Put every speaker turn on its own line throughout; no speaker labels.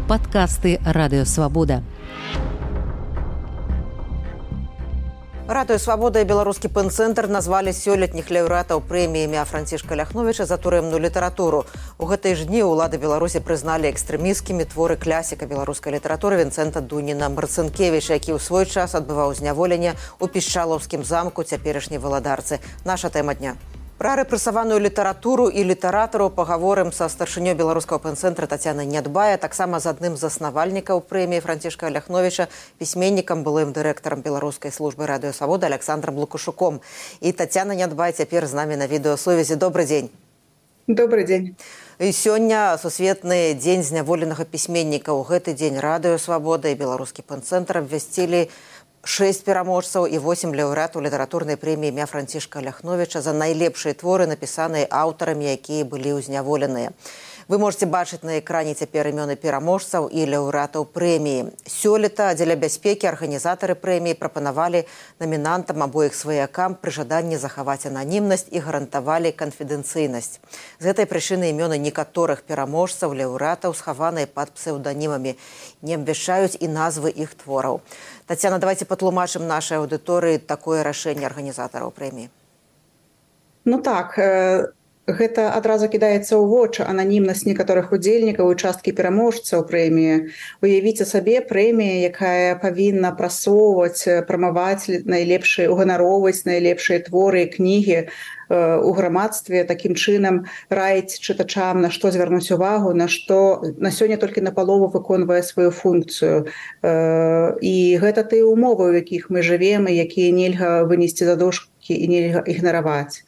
Падкасты Радыё Свабода.
Радыё Свабода і беларускі пэн-цэнтр назвалі сёлетніх лаўрэатаў прэміі імя Францішка Ляхновіча за турэмную літаратуру. У гэтыя ж дні ўлады Беларусі прызналі экстрэмісцкімі творы класіка беларускай літаратуры Вінцэнта Дуніна Марцынкевіча, які ў свой час адбываў зняволенне ў Пішчалаўскім замку цяперашняй валадарцы. Наша тэма дня. Пра рэпрэсаваную літаратуру і літаратараў пагаворым са старшынёй беларускага пэн-цэнтра Тацянай Нядбае, таксама з адным з заснавальнікаў прэміі Францішка Ляхновіча, пісьменнікам, былым дырэктарам беларускай службы Радыё Свабода Александром Лукашуком. І Тацяна Нядбае цяпер з намі на відэасувязі. Добрый дзень.
Добрый дзень.
І сёння сусветны дзень зняволенага пісьменніка. У гэты дзень Радыё Свабода і беларускі пэн-цэнтр абвясцілі 6 пераможцаў і 8 лаўрэатаў літаратурнай прэміі імя Францішка Ляхновіча за найлепшыя творы, напісаныя аўтарамі, якія былі ўзняволеныя. Вы можете бачыць на экране цяпер імёны пераможцаў і лаўрэатаў прэміі. Сёлета дзеля бяспекі арганізатары прэміі прапанавалі намінантам або іх сваякам пры жаданні захаваць ананімнасць і гарантавалі канфідэнцыйнасць. З гэтай прычыны імёны некаторых пераможцаў лаўрэатаў схаваныя пад псеўданімамі, не абвяшчаюць і назвы іх твораў. Тацяна, давайте патлумачым нашай аўдыторыі такое рашэнне арганізатараў прэміі.
Ну так, гэта адразу кідаецца ў вочы ананімнасць некаторых удзельнікаў і часткі пераможцаў прэміі. Уявіце сабе прэмія, якая павінна прасоўваць, прамаваць найлепшыя, уганароўваць найлепшыя творы і кнігі у грамадстве, такім чынам раіць чытачам, на што звярнуць увагу, на што на сёння толькі напалову выконвае сваю функцыю. І гэта тыя умовы, у якіх мы жывем і якія нельга вынесці за дошкі і нельга ігнараваць.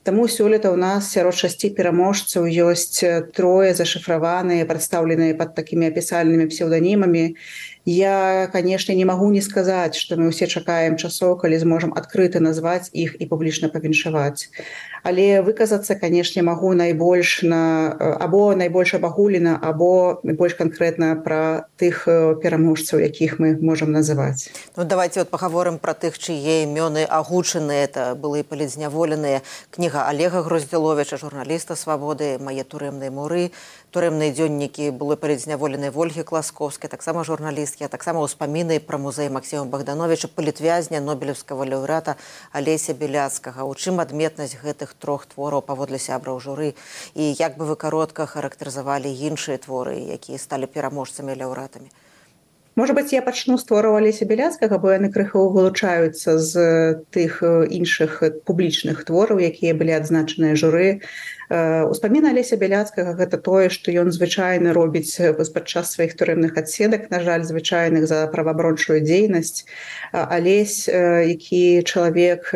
Таму сёлета ў нас сярод 6 пераможцаў ёсць 3 зашыфраваныя, прадстаўленыя пад такімі апісальнымі псеўданімамі. Я, канешне, не магу не сказаць, што мы ўсе чакаем часоў, калі зможам адкрыта назваць іх і публічна павіншаваць. Але выказацца, канешне, магу найбольш або найбольш абагулена, або больш канкрэтна пра тых пераможцаў, якіх мы можам называць.
Ну, давайте пагаворым пра тых, чые імёны агучаныя. Это былыя палітзняволеныя. Кніга Олега Гроздзіловіча, журналіста Свабоды, «Мае турэмныя муры», турэмныя дзённікі былой палітзняволенай Вольгі Класкоўскай, таксама журналісткі, а таксама ўспаміны пра музей Максіма Богдановича, палітвязня, нобелеўскага лаўрэата Алеся Беляцкага. У чым адметнасць гэтых 3 твораў паводле сябраў журы? І як бы вы каротка характарызавалі іншыя творы, якія сталі пераможцамі лаўрэатамі?
Можа быць, я пачну з твораў Алеся Беляцкага, бо яны крыху вылучаюцца з тых іншых публічных твораў, якія былі адзначаныя журы. Успаміны Алеся Беляцкага – гэта тое, што ён звычайна робіць падчас сваіх турэмных адседак, на жаль, звычайных за праваабарончую дзейнасць. Алесь, які чалавек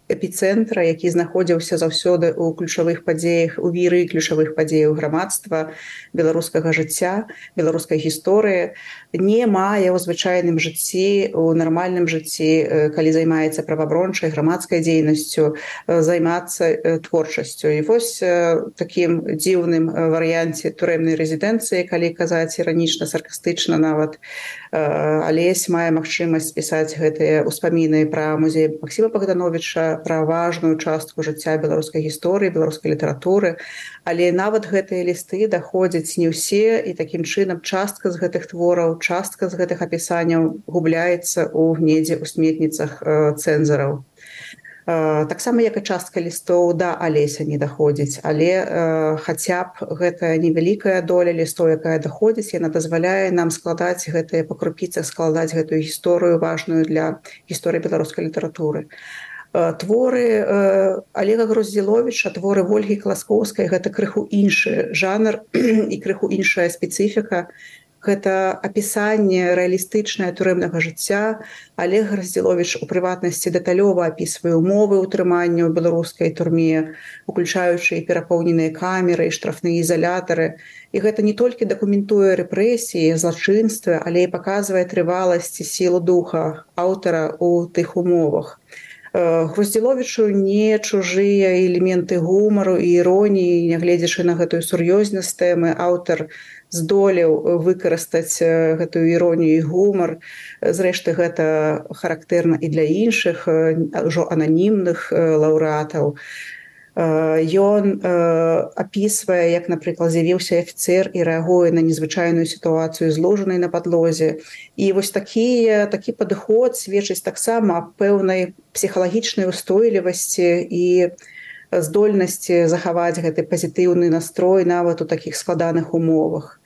эпіцэнтра, які знаходзіўся заўсёды ў ключавых падзеях, у віры ключавых падзеяў грамадства, беларускага жыцця, беларускай гісторыі, не мае ў звычайным жыцці, у нармальным жыцці, калі займаецца праваабарончай, грамадскай дзейнасцю, займацца творчасцю. І вось такім дзіўным варыянце турэмнай рэзідэнцыі, калі казаць іранічна, саркастычна нават, Алесь мае магчымасць пісаць гэтыя ўспаміны пра музей Максіма Богдановича, пра важную частку жыцця беларускай гісторыі, беларускай літаратуры. Але нават гэтыя лісты даходзяць не ўсе, і такім чынам частка з гэтых твораў, частка з гэтых апісанняў губляецца ў недзе ў сметніцах цэнзараў. Таксама, як і частка лістоў да Алеся не даходзіць, але хаця б гэта невялікая доля лістоў, якая даходзіць, яна дазваляе нам складаць гэтыя па крупіцах, складаць гэтую гісторыю важную для гісторыі беларускай літаратуры. Творы Олега Гроздзіловіча, творы Вольгі Класкоўскай – гэта крыху іншы жанр і крыху іншая спецыфіка. Гэта апісанне рэалістычнае турэмнага жыцця. Олег Гроздзіловіч у прыватнасці дэталёва апісвае умовы ўтрымання ў беларускай турме, уключаючы і перапоўненыя камеры, і штрафныя ізалятары. І гэта не толькі дакументуе рэпрэсіі, злачынствы, але і паказвае трываласць і сілу духа аўтара ў тых умовах. Гроздзіловічу не чужыя элементы гумару і іроніі, нягледзячы на гэтую сур'ёзнасць тэмы, аўтар здолеў выкарыстаць гэтую іронію і гумар. Зрэшты, гэта характэрна і для іншых, ужо ананімных лаўрэатаў. Ён апісвае, як, напрыклад, з'явіўся афіцэр і рэагуе на незвычайную сітуацыю зложанай на падлозе. І вось такі падыход сведчыць таксама аб пэўнай псіхалагічнай устойлівасці і здольнасці захаваць гэты пазітыўны настрой нават у такіх складаных умовах.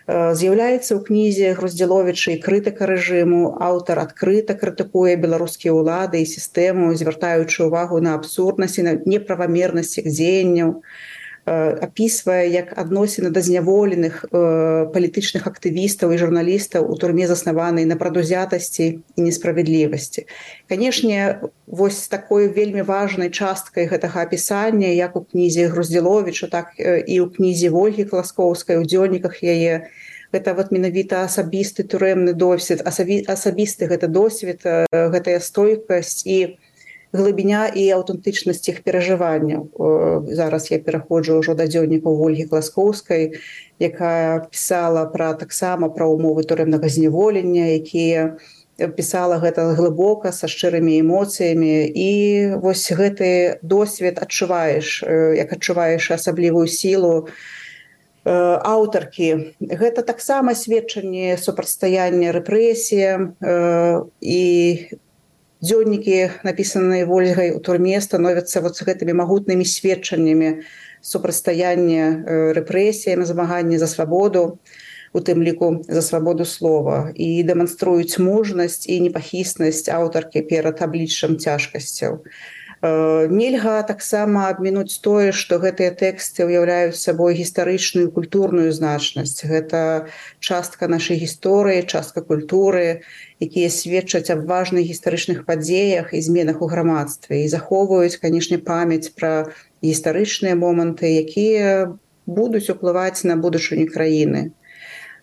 З'яўляецца ў кнізе Груздзіловіча і крытыка рэжыму. Аўтар адкрыта крытыкуе беларускія ўлады і сістэму, звяртаючы ўвагу на абсурднасць і на неправамернасць іх дзеянняў. Апісвае, як адносіны да зняволеных палітычных актывістаў і журналістаў у турме заснаванай на прадузятасці і несправядлівасці. Канешне, вось такой вельмі важнай часткай гэтага апісання, як у кнізе Груздзіловіча, так і ў кнізе Вольгі Класкоўскай, у дзённіках яе, гэта вот менавіта асабісты турэмны досвед, асабісты гэта досвед, гэтая стойкасць і глыбіня і аўтэнтычнасць іх перажыванняў. Зараз я пераходжу ўжо да дзённікаў Вольгі Класкоўскай, якая пісала таксама пра ўмовы турэмнага зняволення, якія пісала гэта глыбока, са шчырымі эмоцыямі. І вось гэты досвед адчуваеш, як адчуваеш асаблівую сілу аўтаркі. Гэта таксама сведчанне супрацьстаяння рэпрэсіям, і дзённікі, напісаныя Вольгай у турме, становяцца вот гэтымі магутнымі сведчаннямі супрацьстаяння рэпрэсіям, змагання за свабоду, у тым ліку за свабоду слова, і дэманструюць мужнасць і непахіснасць аўтаркі перад абліччам цяжкасцяў. Нельга таксама абмінуць тое, што гэтыя тэксты ўяўляюць сабой гістарычную і культурную значнасць. Гэта частка нашай гісторыі, частка культуры, якія сведчаць аб важных гістарычных падзеях і зменах у грамадстве і захоўваюць, канешне, памяць пра гістарычныя моманты, якія будуць уплываць на будучыню краіны.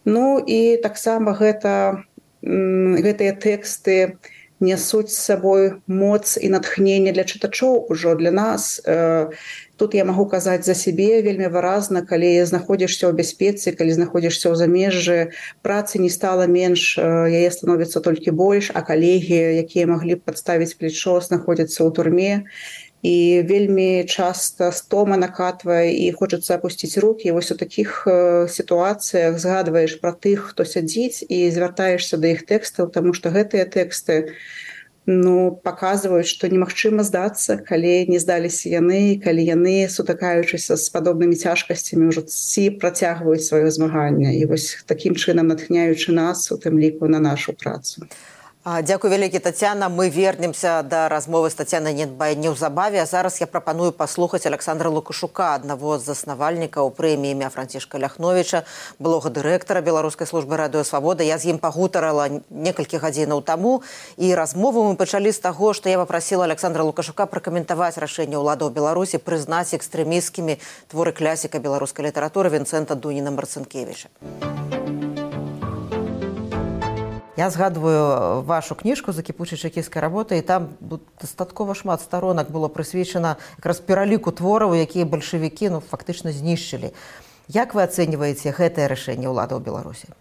Ну і таксама гэтыя тэксты нясуць з сабой моц і натхненне для чытачоў ужо, для нас. Тут я магу казаць за сябе вельмі выразна, калі знаходзішся ў бяспецы, калі знаходзішся ў замежжы, працы не стала менш, яе становіцца толькі больш, а калегі, якія маглі б падставіць плечо, знаходзяцца ў турме. І вельмі часта стома накатвае і хочацца апусціць рукі. І вось у такіх сітуацыях згадваеш пра тых, хто сядзіць, і звяртаешся да іх тэкстаў, таму што гэтыя тэксты паказваюць, што немагчыма здацца, калі не здаліся яны, калі яны, сутыкаючыся з падобнымі цяжкасцямі, ўжо працягваюць сваё змаганне. І вось такім чынам натхняючы нас, у тым ліку, на нашу працу.
Дзякуй вялікі, Тацяна. Мы вернемся да размовы з Тацянай Недбай неўзабаве. А зараз я прапаную паслухаць Александра Лукашука, аднаго з заснавальнікаў прэміі імя Францішка Ляхновіча, былога дырэктара Беларускай службы радыё Свабода. Я з ім пагутарала некалькі гадзінаў таму, і размову мы пачалі з таго, што я папрасіла Александра Лукашука пракаментаваць рашэнне ўладаў Беларусі прызнаць экстрэмісцкімі творы класіка беларускай літаратуры Вінцэнта Дуніна-Марцынкевіча. Я згадваю вашу кніжку «За кіпучай чэкісцкай работы», і там дастаткова шмат старонак было прысвечана якраз пераліку твораў, якія бальшавікі фактычна знішчылі. Як вы ацэньваеце гэтае рашэнне ўладаў Беларусі?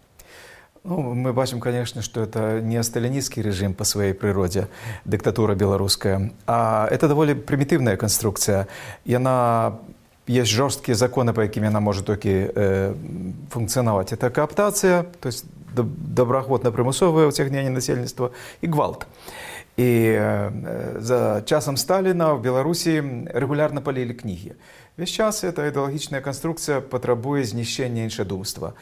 Мы бачым, конечно, что это не сталинистский режим по своей природе, диктатура белорусская, а это довольно примитивная конструкция. Есть жесткие законы, по яким она может только функционовать. Это кооптация, то есть доброохотно-примусовое утягнение насельніцтва и гвалт. И за часом Сталина в Беларуси регулярно палили книги. Весь час эта идеологичная конструкция потребует знищения іншадумства.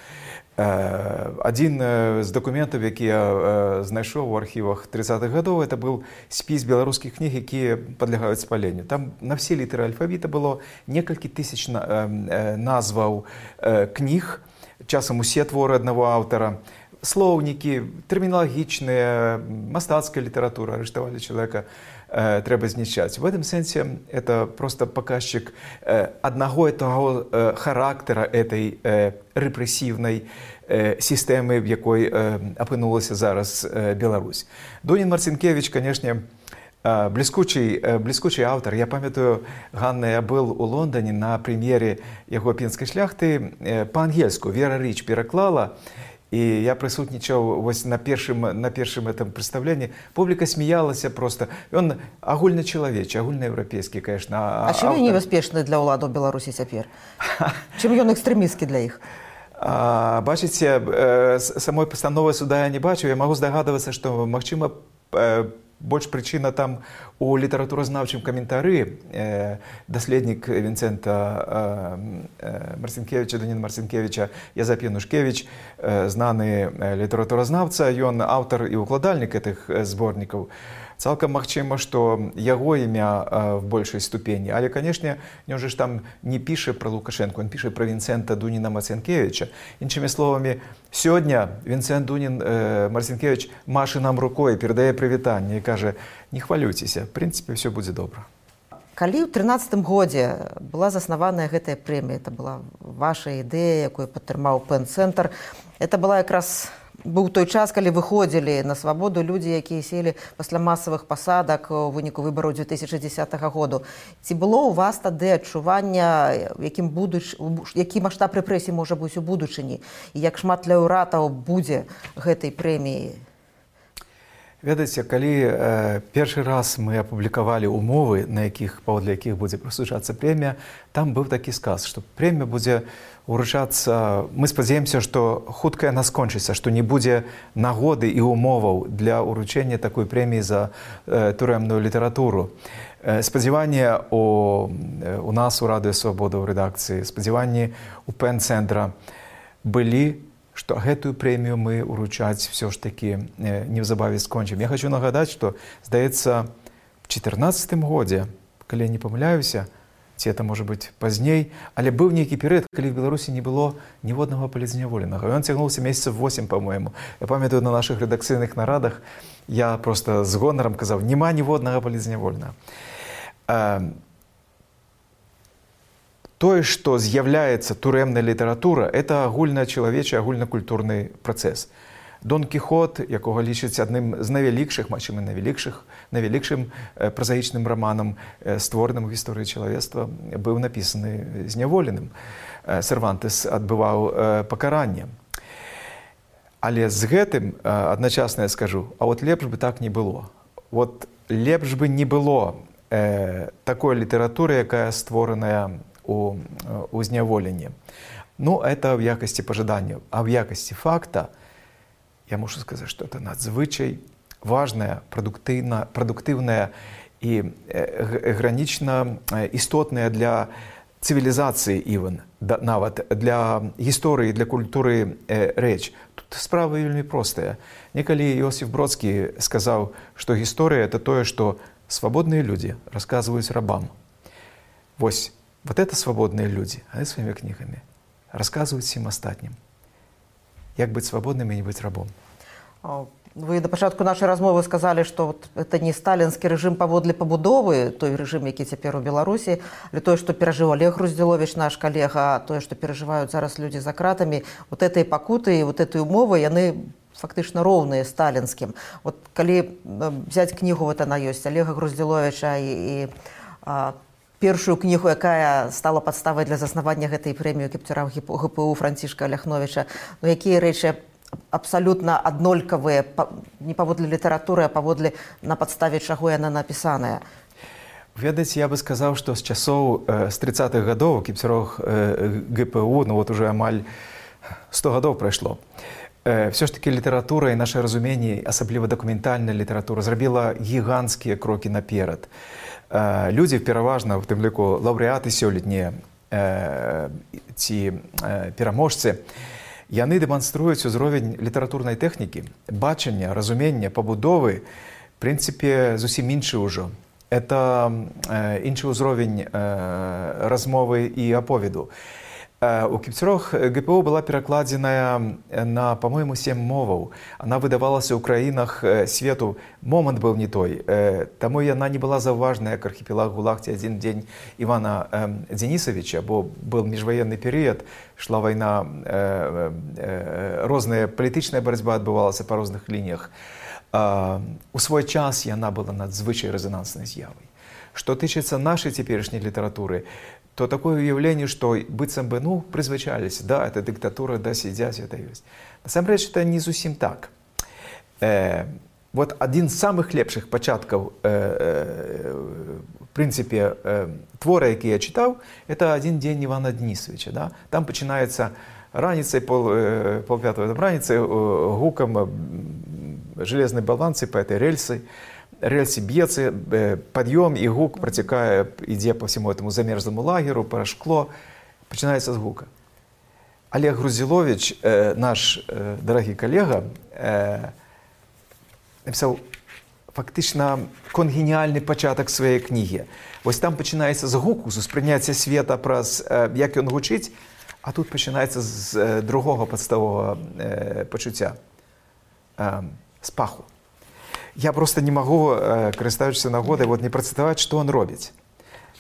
Один з документов, які я знайшов в архівах 30-х годов, это был спіс беларускіх кніг, які подлягаюць спаленню. Там на все літары альфавіта было некалькі тысяч назваў кніг, часам усе творы одного аўтара, слоўнікі, тэрміналагічныя, мастацкая літаратура, арыштавалі чалавека, трэба знішчаць. В этом сэнсе это просто показчик одного и того характера этой репрессивной системы, в якой опынулася зараз Беларусь. Дунін-Марцинкевич, конечно, бліскучий автор. Я памятаю, Ганна, я был у Лондоне на прем'єрі яго пінскай шляхты па-ангельску. Вера Рич пераклала, І я присутнічаў вось на першым этом прадстаўленні. Публіка смяялася просто. Ён агульначалавечы, агульнаеўрапейскі, конечно.
А чым ён небяспечны для ўладаў Беларусі цяпер? Чым ён экстрэмісцкі для іх?
Бачыце, самой пастановы суда я не бачу. Я магу здагадвацца, што, магчыма, больш прычына там у літаратуразнаўчым каментары. Даследнік Вінцэнта Марцінкевіча, Даніна Марцінкевіча, Язэп Янушкевіч, знаны літаратуразнаўца, ён аўтар і укладальнік гэтых зборнікаў. Цалкам магчыма, што яго імя в большай ступені. Але, канешне, ён же ж там не піша пра Лукашэнку, ён піша пра Вінцэнта Дуніна Марцінкевіча. Іншымі словамі, сёння Вінцэнт Дунін Марцінкевіч маша нам рукой, перадае прывітанне і кажа: не хвалюйцеся, в прынцыпе, ўсё будзе добра.
Калі ў 13-м годзе была заснаваная гэтая прэмія, это была ваша ідэя, якую падтрымаў Пэн-цэнтр, это была якраз быў той час, калі выходзілі на свабоду людзі, якія селі пасля масавых пасадак у выніку выбараў 2010 году. Ці было ў вас тады адчування, які маштаб рэпрэсій можа быць у будучыні, і як шмат лаўрэатаў будзе гэтай прэміі?
Ведаеце, калі першы раз мы апублікавалі умовы, паводле якіх будзе прысуджацца прэмія, там быў такі сказ, што прэмія будзе уручацца. Мы спадзяемся, што хутка яна скончыцца, што не будзе нагоды і умоваў для ўручэння такой прэміі за турэмную літаратуру. Спадзяванні у нас у Радыё Свабода ў рэдакцыі, спадзяванні у Пэн-цэнтра былі, што гэтую прэмію мы уручаць все ж такі неўзабаве скончым. Я хочу нагадаць, што, здаецца, в 2014 годзе, калі я не памыляюся, ці это можа быць пазней, але быў нейкі перыяд, калі в Беларусі не было ніводнага палізняволенага. Ён цягнуўся месяцаў 8, па-мойму. Я памятаю, на нашых рэдакцыйных нарадах я просто з гонарам казаў: няма ніводнага палізняволенага. Тое, што з'яўляецца турэмная літаратура, это агульначалавечы, агульнакультурны працэс. Дон Кіхот, якога лічаць адным з найвялікшых, магчыма, найвялікшым празаічным раманам, створаным у гісторыі чалавецтва, быў напісаны зняволеным. Сервантес адбываў пакаранне. Але з гэтым адначасна я скажу: а от лепш бы так не было. Вот лепш бы не было такой літаратуры, якая створаная у зняволенні. Ну, это в якасці пажадання. А в якасці факта я мушу сказаць, што это надзвычай важная, прадуктыўная і гранічна істотная для цывілізацыі іван, нават для гісторыі, для культуры рэч. Тут справа вельмі простая. Некалі Іосиф Бродскі сказаў, што гісторыя — это тое, што свабодныя людзі расказваюць рабам. Вось, вот это свободные люди, они своими книгами рассказывают всем остальным, як быть свободным и не быть рабом.
Вы на пачатку нашай размовы сказалі, што это не сталінскі рэжым паводле пабудовы, той рэжым, які цяпер у Беларусі, але тое, што перажыў Олег Груздзіловіч, наш калега, тое, што перажываюць зараз людзі за кратамі, вот этой пакуты і вот этой умовы, яны фактычна роўныя сталінскім. Вот калі взять кнігу, вот она ёсць, Олега Груздзіловіча і першую кнігу, якая стала падставай для заснавання гэтай прэміі кіпцюрам ГПУ Францішка Ляхновіча, ну якія рэчы абсалютна аднолькавыя не паводле літаратуры, а паводле на падставе чаго яна напісаная?
Ведаеце, я бы сказаў, што з часоў з 30-х гадоў кіпцюрах ГПУ, ну вот уже амаль 100 гадоў прайшло. Все ж таки літаратура і наша разуменне, асабліва дакументальная літаратура, зрабіла гіганцкія крокі наперад. Людзі, пераважна, в тым ліку лаўрэаты сёлетнія ці пераможцы, яны дэманструюць узровень літаратурнай тэхнікі, бачання, разумення, пабудовы, в прынцыпе, зусім іншы ўжо. Это іншы ўзровень размовы і аповеду. У кіпцюрах ГПУ была перакладзеная на, по-моему, 7 моваў. Она выдавалася ў краінах свету. Момант быў не той. Таму яна не была заўважная, як архіпелаг ГУЛАГ ці адзін дзень Івана Дзенісавіча, бо быў міжваенны перыяд, шла вайна, розная палітычная барацьба адбывалася па розных лініях. У свой час яна была надзвычай рэзананснай з'явай. Што тычыцца нашай цяперашняй літаратуры, то такое уявление, что быццам бы, ну, призвычались, да, это диктатура, да, сидят, это есть. Насамрэч, это не зусім так. Вот один з самых лепших пачаткаў, в принципе, твора, які я читал, это «Один день Ивана Денисовича». Да? Там починается раніцай, полпятого раніцай, гуком железной баланцы по этой рельсе бьется, подъем, и гук протекая, идя по всему этому замерзлому лагерю, по шкло, починается с гука. Олег Грузилович, наш дорогий коллега, написав фактично конгеніальний початок своєї книги. Ось там починається з гуку, з сприйняття світа, як він гучить, а тут починається з другого підставового почуття, з паху. Я просто не можу, користуючись нагодою, не процитувати, що він робить.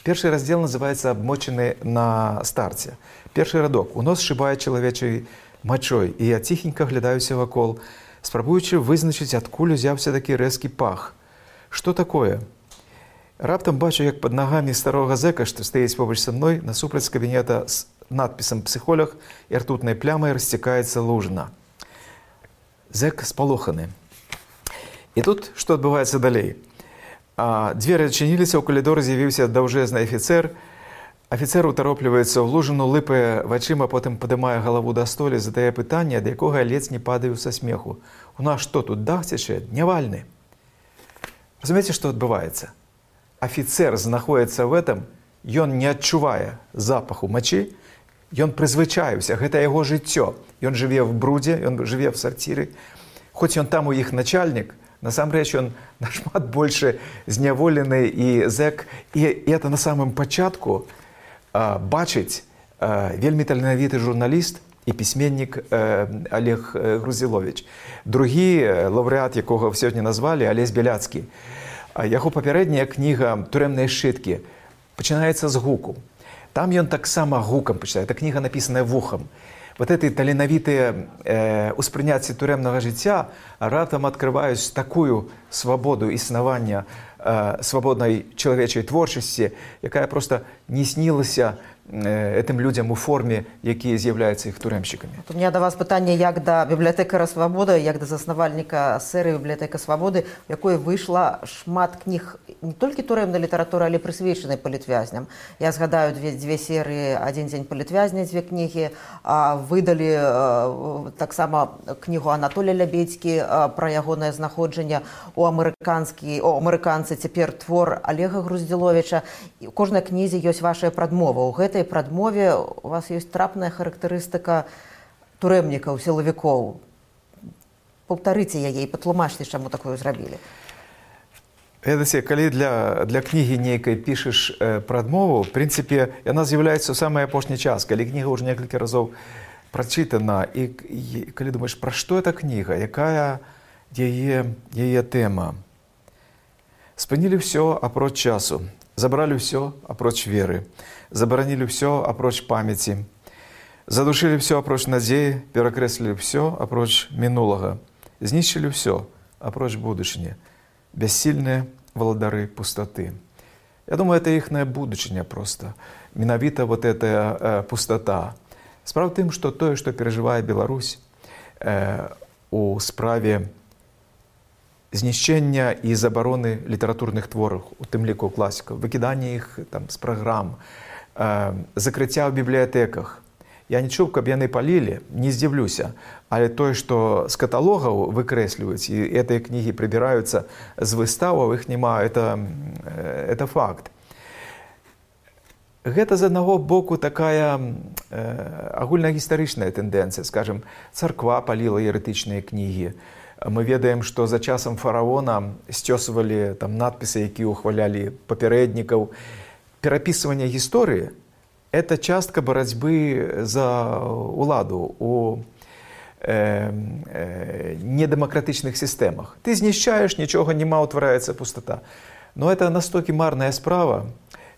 Перший розділ називається «Обмочений на старті». Перший рядок. «У нос шибає чоловічою мочою, і я тихенько глядаюся вокол, спробуючи визначити, откуль взявся такий резкий пах. Що таке? Раптом бачу, як під ногами старого зека, що стоїть поруч зі мною, насупроть з кабінета з надписом «Психолог» і ртутною плямою розтікається лужина. Зек сполоханий. І тут що відбувається далі? Двері відчинилися, у коридорі з'явився довжезний офіцер. Офіцер утороплюється в лужину, липає в очима, потім підіймає голову до столі, задає питання, до якого я ледь не падаю со сміху. У нас що тут, дах тече? Дневальний. Розумієте, що відбувається? Офіцер знаходиться в этом, він не відчуває запаху мочі, він призвичаюся, гэта його життя. Він живе в бруді, він живе в сортирі. Хоч він там у їх начальник, насамрэч він нашмат більше зняволений і зек. І це на самому початку бачить вельми таленавіты журналіст і письменник Олег Грузилович. Другі лауреат, якого сьогодні назвали, Олесь Біляцький. Його попередня книга «Тюремні шитки» починається з гуку. Там він так само гуком починає. Ця книга написана вухом. Вот эти таленавітые усприйняття тюремного життя раптом відкривають таку свободу існування свободної чоловічої творчості, яка просто не снилася этим людям у формі, які з'являються їх тюремщиками.
У меня до вас питання як до бібліотекара «Свобода», як до заснавальника серії «Бібліотека Свободи», в якої вийшла шмат книг не тільки тюремної літератури, але й присвяченої політв'язням. Я згадаю дві серії «Один день політв'язня», дві книги. Видали так само книгу Анатолія Лябедькі про ягонае знаходжанне у амерыканцы, цяпер твор Олега Грузиловича. У кожнай кнізе ёсць ваша прадмова. У гэтай прадмове у вас ёсць трапная характарыстыка турэмнікаў, сілавікоў. Паўтарыце яе і патлумачце, чаму такое зрабілі.
Ведаце, калі для кнігі нейкай пішаш прадмову, в прынцыпе, яна з'яўляецца ў самы апошні час, калі кніга ўжо некалькі разоў прачытана, і калі думаеш, пра што эта кніга, якая яе тэма. Спынілі ўсё апроч часу, забралі ўсё апроч веры, забаранілі ўсё апроч памяці, задушылі ўсё апроч надзеі, перакрэслілі ўсё апроч мінулага, знішчылі ўсё апроч будучыні, бяссільныя валадары пустаты. Я думаю, это іхная будучыня просто. Менавіта вот эта пустота. Справа в тым, што тое, што перажывае Беларусь у справе знішчэння і забароны літаратурных твораў, у тым ліку класікаў, выкіданне іх там з праграм, закрыцця ў бібліятэках. Я не чуў, каб яны палілі, не здзіўлюся, але тое, што з каталогаў выкрэсліваюць, і гэтыя кнігі прыбіраюцца з выставаў, іх няма, это факт. Гэта з аднаго боку такая агульнагістарычная тэндэнцыя, скажем, царква паліла еретычныя кнігі. Мы ведаем, што за часам фараона сцёсвалі там надпісы, якія ўхвалялі папярэднікаў. Перапісыванне гісторыі – это частка барацьбы за ўладу у недемократычных сістэмах. Ты знішчаеш, нічога няма, утвараецца пустата. Но это настолькі марная справа.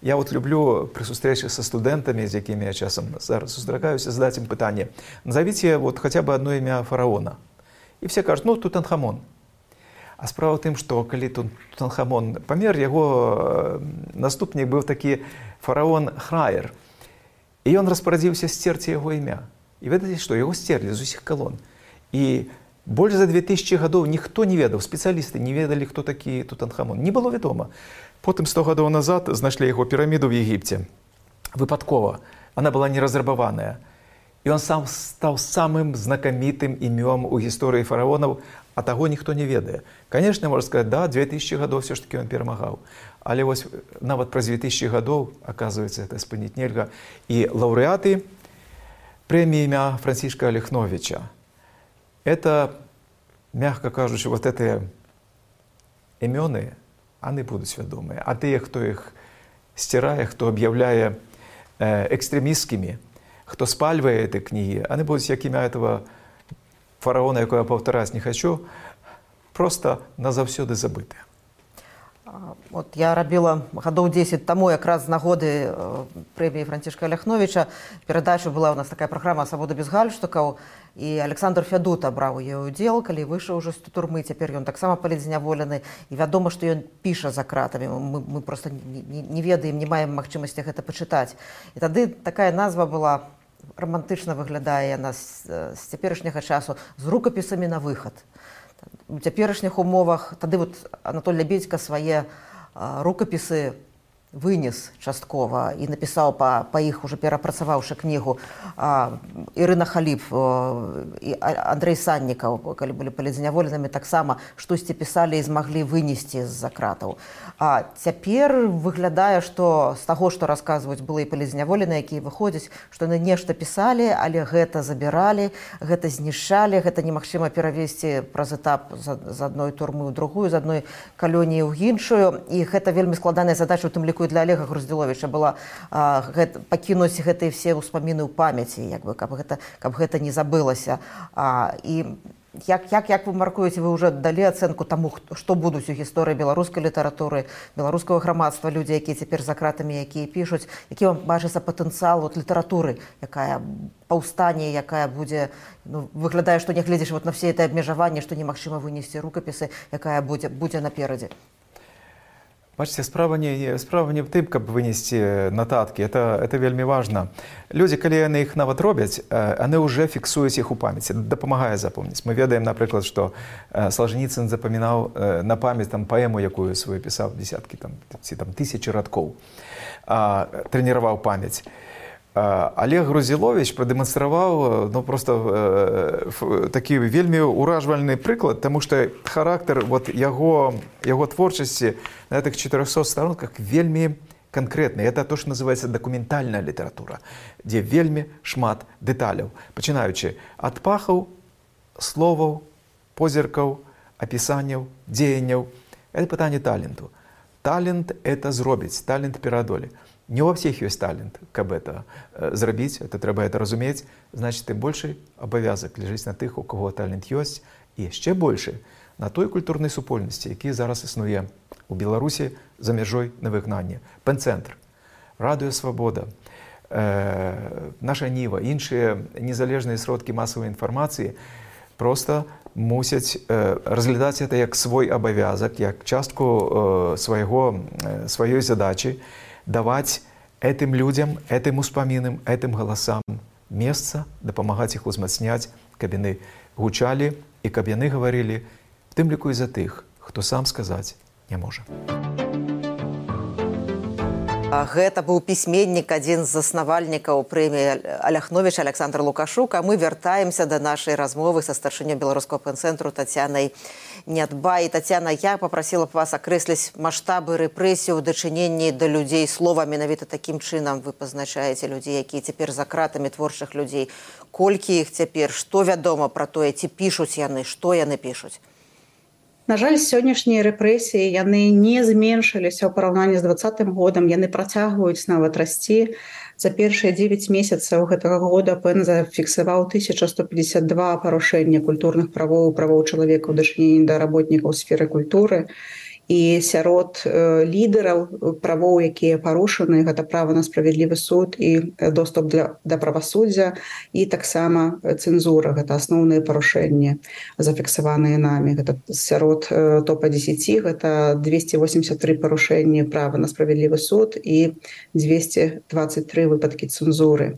Я вот люблю при сустрэчы са студэнтамі, з якімі я часам зараз сустракаюся, задаць ім пытанне. Назовіце вот хотя бы одно імя фараона. І все кажуць, ну, Тутанхамон. А справа в тым, што калі Тутанхамон памер, яго наступнік быў такі фараон Храер. І ён распарадзіўся сцерці яго імя. І ведаеце што, яго сцерлі з усіх калон. І больш за 2000 гадоў ніхто не ведаў, спецыялісты не ведалі, хто такі Тутанхамон. Не было вядома. Потым 100 гадоў назад знайшлі яго піраміду в Егіпце. Выпадкова. Она была не разрабаваная. І ён сам стаў самым знакамітым імём у гісторыі фараонаў, а таго ніхто не ведае. Канешне, можна сказаць, да, 2000 гадоў все ж таки ён перамагаў. Але вось нават праз 2000 гадоў, аказваецца, гэта спыніць нельга. І лаўрэаты прэміі імя Францішка Алехновіча. Это, мягко кажучи, вот эти імёны, они будуць вядомыя. А тыя, хто іх сцірае, хто аб'яўляе экстремістскімі, хто спальвае эти кнігі, они будуць, як імя этого фараона, якое я паўтараць не хочу, просто назаўсёды забытыя.
Вот я рабіла гадоў 10 таму якраз з нагоды прэміі Францішка Алехновіча. Перадача была у нас такая праграма «Свабода без гальштукаў», і Александр Фядута браў у ёй удзел, калі выйшаў ужо з турмы. Цяпер ён таксама палітзняволены, і вядома, што ён піша за кратамі. Мы просто не ведаем, не маем магчымасці гэта пачытаць. І тады такая назва была, романтычна выглядае яна з цяперашняга часу, з рукапісамі на выхад. У цяперашніх умовах тады вот Анатоль Лябедзька свае рукапісы вынес часткова і напісаў па іх, уже перапрацаваўшы кнігу, Ірына Халіп і Андрэй Саннікаў, калі былі палітзняволенымі, таксама штосьці пісалі і змаглі вынесці з-за кратаў. А цяпер выглядае, што з таго, што расказваюць былыя палітзняволеныя, якія выходзяць, што яны нешта пісалі, але гэта забіралі, гэта знішчалі, гэта немагчыма перавесці праз этап з адной турмы ў другую, з адной калоніі ў іншую. І гэта вельмі складаная задача, у тым ліку і для Олега Груздзіловіча была пакінуць гэтыя все ўспаміны ў памяці, каб гэта не забылася. І як вы маркуеце, вы ўжо далі ацэнку таму, што будуць у гісторыі беларускай літаратуры, беларускага грамадства, людзі, якія цяпер за кратамі, якія пішуць, які вам бачыцца патэнцыял літаратуры, якая паўстане, якая будзе, выглядае, што нягледзячы на все это абмежаванні, што немагчыма вынесці рукапісы, якая будзе наперадзе.
Бачите, справа не в тым, каб вынесці нататкі. Это вельмі важна. Людзі, калі яны іх нават робяць, яны ўжо фіксуюць іх у памяці, дапамагае запомніць. Мы ведаем, напрыклад, што Салжаніцын запамінаў на памяць паэму, якую сваю пісаў, дзесяткі ці тысячы радкоў, трэніраваў памяць. Олег Груздзіловіч прадэманстраваў такі вельмі ўражвальны прыклад, таму што характар яго творчасці на гэтых 400 старонках вельмі канкрэтны. Это то, што называецца дакументальная літаратура, дзе вельмі шмат дэталяў, пачынаючы ад пахаў, словаў, позіркаў, апісанняў, дзеянняў. Это пытанне таленту. Талент – это зробіць, талент пераадолі. Не ва всіх ёсць талент, каб это зрабіць, трэба это разумець, значит, тым большы абавязак ляжыць на тых, у каго талент ёсць, і яшчэ большы на той культурнай супольнасці, які зараз існуе у Беларусі за мяжой на выгнанні. Пэн-цэнтр, Радыё Свабода, Наша Ніва, іншыя незалежныя сродкі масавай інфармацыі проста мусяць разглядаць это як свой абавязак, як частку сваёй задачы, даваць этим людям, этим успамінам, этим галасам месца, дапамагаць іх узмацняць, каб яны гучалі і каб яны гаварылі, в тым ліку і за тых, хто сам сказаць не можа.
Гэта быў пісьменнік, адзін з заснавальнікаў прэміі Алехновіча Александр Лукашук, а мы вяртаемся да нашай размовы са старшынёй беларускага пэн-цэнтру Тацянай Нядбай. Тацяна, я попросила б вас акрэсліць маштабы рэпрэсій у дачыненні да людзей слова. Менавіта такім чынам вы пазначаеце людзей, якія цяпер за кратамі, творчых людзей. Колькі іх цяпер, што вядома пра тое, ці пішуць яны, што яны пішуць?
На жаль, сённяшнія рэпрэсіі, яны не зменшыліся ў параўнанні з 2020 годам, яны працягваюць нават расці. За першыя 9 месяцаў гэтага года ПЭН зафіксаваў 1152 парушэння культурных правоў, правоў чалавека ў дачыненні да работнікаў сферы культуры. І сярод лідараў правоў, якія парушаны, гэта права на справядлівы суд і доступ да правасуддзя, і таксама цэнзура, гэта асноўныя парушэнні, зафіксаваныя намі. Гэта сярод топа 10, гэта 283 парушэнні права на справядлівы суд і 223 выпадкі цэнзуры.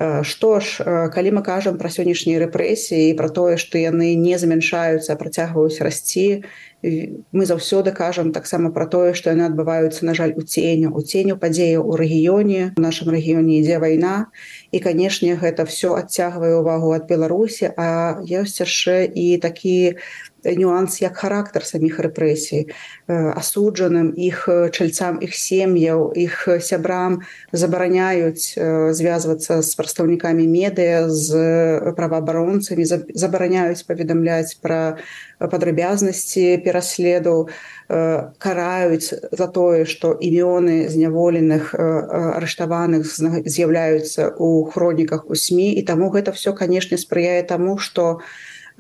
Што ж, калі мы кажам пра сённяшнія рэпрэсіі і пра тое, што яны не змяншаюцца, а працягваюць расці, мы заўсёды кажам таксама пра тое, што яны адбываюцца, на жаль, у ценю падзеяў у рэгіёне. У нашым рэгіёне ідзе вайна, і, канешне, гэта ўсё адцягвае ўвагу ад Беларусі, а ёсць яшчэ і такі нюанс, як характар саміх рэпрэсій. Асуджаным, іх чальцам, іх сем'яў, іх сябрам забараняюць звязвацца з прадстаўнікамі медыа, з праваабаронцамі, забараняюць паведамляць пра падрабязнасці пераследу, караюць за тое, што імёны зняволеных, арыштаваных з'яўляюцца ў хроніках у СМІ, і таму гэта ўсё, канешне, спрыяе таму, што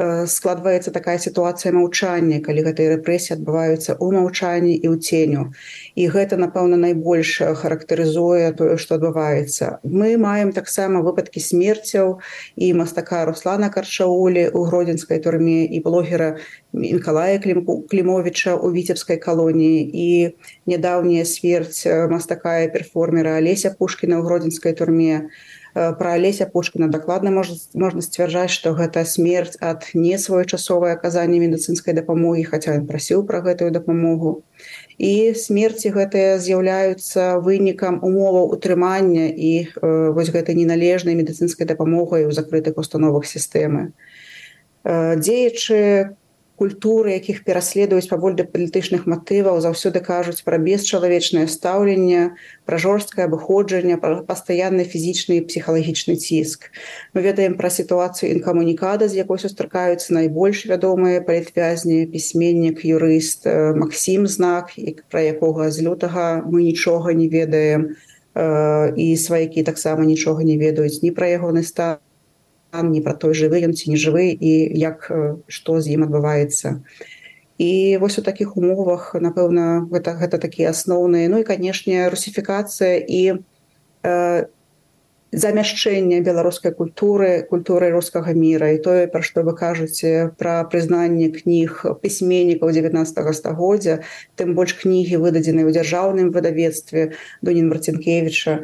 складваецца такая сітуацыя маўчання, калі гэтыя рэпрэсіі адбываюцца ў маўчанні і ў ценю. І гэта, напэўна, найбольш характарызуе тое, што адбываецца. Мы маем таксама выпадкі смерцяў і мастака Руслана Карчаулі ў гродзенскай турме, і блогера Мікалая Клімовіча ў віцебскай калоніі, і нядаўняя смерць мастака і перформера Алеся Пушкіна ў гродзенскай турме. Пра Алеся Пушкіна дакладна можна сцвярджаць, што гэта смерць ад несвоечасовае аказання медыцынскай дапамогі, хаця ён прасіў пра гэтую дапамогу. І смерці гэтыя з'яўляюцца вынікам умоваў утрымання і вось гэтай неналежнай медыцынскай дапамогай у закрытых установах сістэмы. Дзеячы культуры, якіх пераследуюць паводле палітычных матываў, заўсёды кажуць пра бесчалавечнае стаўленне, пра жорсткае абыходжанне, пра пастаянны фізічны і псіхалагічны ціск. Мы ведаем пра сітуацыю інкамунікада, з якой сустракаюцца найбольш вядомыя палітвязні, пісьменнік, юрыст Максім Знак, пра якога з лютага мы нічога не ведаем, і сваякі таксама нічога не ведаюць ні пра ягоны стан, не пра той, жывы ён ці не жывы, і што з ім адбываецца. І вось у такіх умовах, напэўна, гэта такія асноўныя. Ну і, канешне, русіфікацыя і замяшчэнне беларускай культуры рускага міра. І тое, пра што вы кажаце, пра прызнанне кніг пісьменнікаў 19 стагоддзя, тым больш кнігі, выдадзеныя ў дзяржаўным выдавецтве Дунін Марцінкевіча.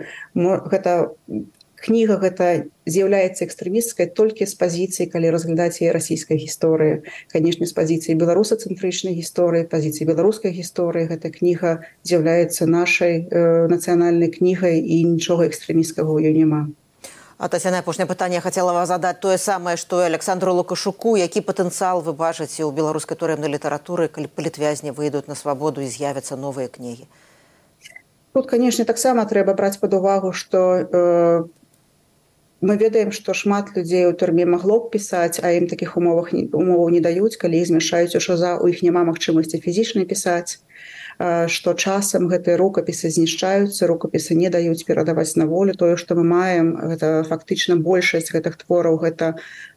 Кніга гэта з'яўляецца экстрэмісцкай толькі з пазіцыі, калі разглядаць яе расійскай гісторыі. Канешне, з пазіцыі беларусацэнтрычнай гісторыі, пазіцыі беларускай гісторыі гэта кніга з'яўляецца нашай нацыянальнай кнігай, і нічога экстрэмісцкага ў ёй няма.
А Тацяна, апошняе пытанне хацела вас задаць тое самае, што і Александру Лукашуку. Які патэнцыял вы бачыце ў беларускай турэмнай літаратуры, калі палітвязні выйдуць на свабоду і з'явяцца новыя кнігі?
Тут, канешне, таксама трэба браць пад увагу, што мы ведаем, што шмат людзей у турме магло б пісаць, а ім такіх умоваў не даюць, калі іх змяшаюць у ШЗА, у іх няма магчымасці фізічна пісаць, што часам гэтыя рукапісы знішчаюцца, рукапісы не даюць перадаваць на волю. Тое, што мы маем, гэта фактычна большасць гэтых твораў, гэта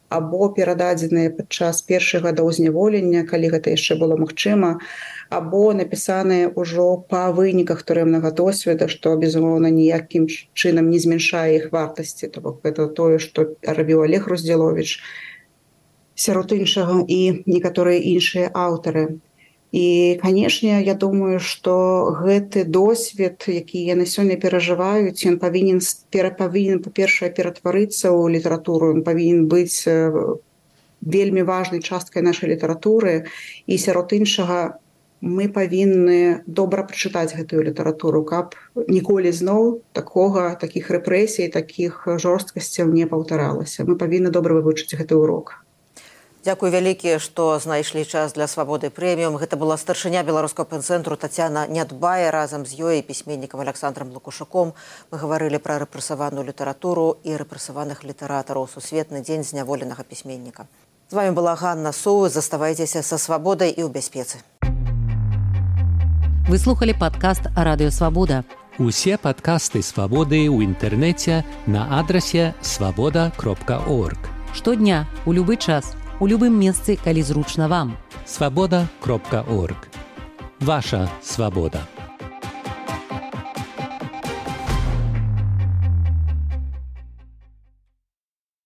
або перададзеныя падчас першых гадоў зняволення, калі гэта яшчэ было магчыма, або напісаныя ўжо па выніках турэмнага досведа, што, безумоўна, ніякім чынам не змяншае іх вартасці. То бок гэта тое, што рабіў Олег Руздзіловіч, сярод іншага, і некаторыя іншыя аўтары. І, канешне, я думаю, што гэты досвед, які яны сёння перажываюць, ён павінен, па-першае, ператварыцца ў літаратуру, ён павінен быць вельмі важнай часткай нашай літаратуры, і сярод іншага мы павінны добра прачытаць гэтую літаратуру, каб ніколі зноў такіх рэпрэсій, такіх жорсткасцяў не паўтаралася. Мы павінны добра вывучыць гэты урок.
Дзякуй вялікі, што знайшлі час для свабоды прэміум. Гэта была старшыня беларускага пэн-цэнтру Тацяна Нядбая разам з ёй і пісьменнікам Александром Лукашуком. Мы гаварылі пра рэпрэсаваную літаратуру і рэпрэсаваных літаратараў. Сусветны дзень зняволенага пісьменніка. З вамі была Ганна Соу. Заставайцеся са свабодай і ў бяспецы.
Вы слухали падкаст «Радыё Свабода».
Усе падкасты «Свабоды» ў інтэрнэце на адрасе свабода.орг.
Штодня, у любы час, у любым месцы, калі зручна вам.
Свабода.орг. ваша свобода.